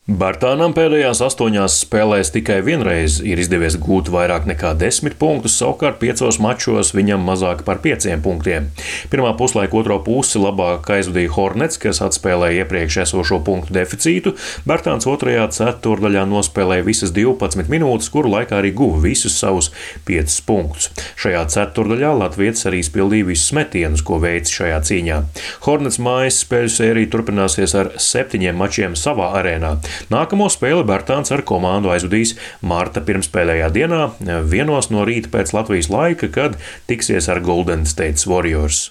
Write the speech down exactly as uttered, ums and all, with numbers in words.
Bartānam pēdējās astoņās spēlēs tikai vienreiz ir izdevies gūt vairāk nekā desmit punktus, savukārt piecos mačos viņam mazāk par pieciem punktiem. Pirmā puslaika otro pusi labāk aizvadīja Hornets, kas atspēlēja iepriekš esošo punktu deficītu. Bartāns otrajā ceturdaļā nospēlēja visas divpadsmit minūtes, kuru laikā arī guva visus savus piecus punktus. Šajā ceturdaļā latvietis arī izpildīja visus metienus, ko veica šajā cīņā. Hornets mājas spēļu sērija turpināsies ar septiņiem mačiem savā arēnā. Nākamo spēli Bartāns ar komandu aizvadīs marta pirmspēlējā dienā, vienos no rīta pēc Latvijas laika, kad tiksies ar Golden State Warriors.